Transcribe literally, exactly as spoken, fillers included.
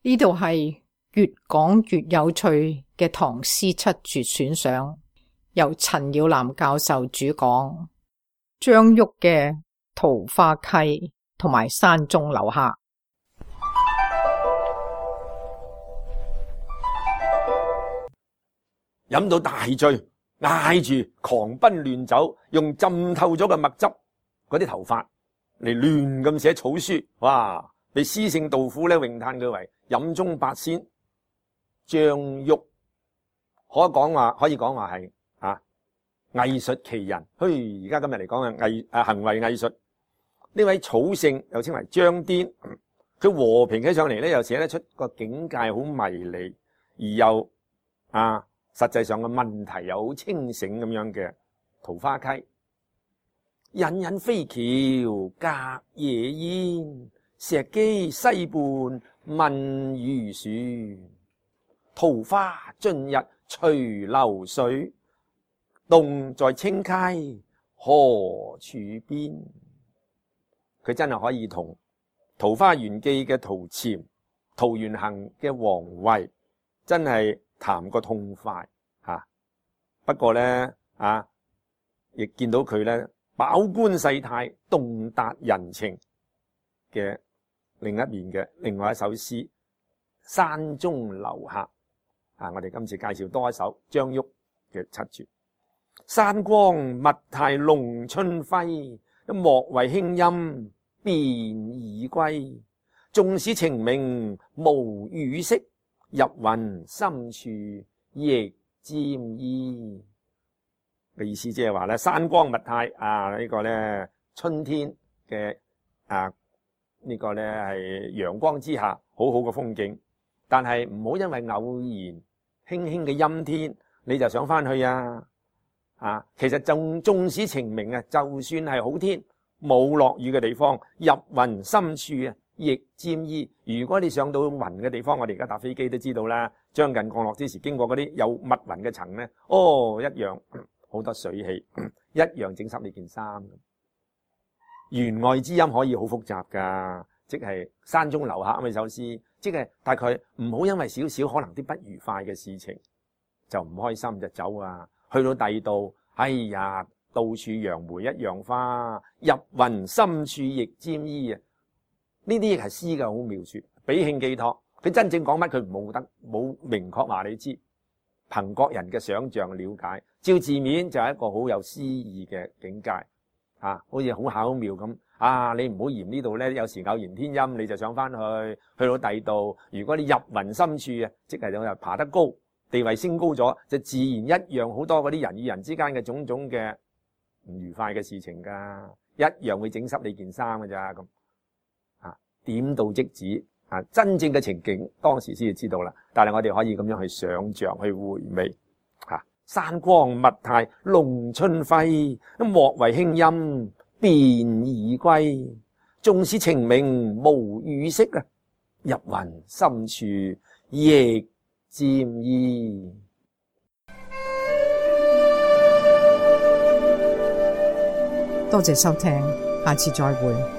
呢度係越講越有趣嘅唐詩七絕選賞，由陳耀南教授主講，張旭嘅《桃花溪》同埋《山中樓客》。飲到大醉，嗌住狂奔亂走，用浸透咗嘅墨汁嗰啲頭髮嚟亂咁寫草書，哇！被詩聖杜甫咧詠嘆佢為飲中八仙。張旭可講話，可以講話係啊藝術奇人。嘿，而家今日嚟講嘅藝啊行為藝術，呢位草聖又稱為張顛，佢和平起上嚟咧，又寫得出個境界好迷離，而又啊實際上嘅問題又好清醒咁樣嘅桃花溪。隱隱飛橋隔夜煙，石磯西畔問漁船。桃花盡日隨流水，洞在清溪何處邊？佢真係可以同《桃花源記》嘅陶潛、桃源行嘅王維真係談個痛快吓。不過咧啊，亦見到佢咧飽觀世態、洞達人情嘅另一面嘅另外一首詩《山中樓客》啊！我哋今次介紹多一首張旭嘅七絕。山光密態龍春輝，莫為輕音便已歸。縱使晴明無雨色，入雲深處亦沾衣。嘅意思即係話咧，山光密態啊，呢、這個咧春天嘅啊呢、這個咧係陽光之下好好嘅風景，但係唔好因為偶然輕輕嘅陰天你就想翻去啊！啊，其實縱縱使晴明啊，就算係好天冇落雨嘅地方，入雲深處啊亦沾衣。如果你上到雲嘅地方，我哋而家搭飛機都知道啦，將近降落之時經過嗰啲有密雲嘅層咧，哦一樣。好多水氣，一樣整濕你件衫。弦外之音可以好複雜噶，即係山中樓客咁嘅首詩，即係大概唔好因為少少可能啲不愉快嘅事情就唔開心就走啊。去到第二度，哎呀，到處揚梅一樣花，入雲深處亦沾衣啊！呢啲亦係詩嘅好描述，比興寄託。佢真正講乜，佢冇得冇明確話你知。憑各人嘅想象了解，照字面就係一個好有詩意嘅境界，啊，好似好巧妙咁。啊，你唔好嫌呢度咧，有時偶然天陰，你就想翻去，去到第二度。如果你入雲深處啊，即係就爬得高，地位升高咗，就自然一樣好多嗰啲人與人之間嘅種種嘅唔愉快嘅事情噶，一樣會整濕你件衫㗎咋咁。啊，點到即止。啊，真正嘅情景當時先至知道啦，但係我哋可以咁樣去想像、去回味。嚇、啊，山光密態龍春輝，莫為輕音便已歸。縱使晴明無雨色啊，入雲深處亦沾衣。多謝收聽，下次再會。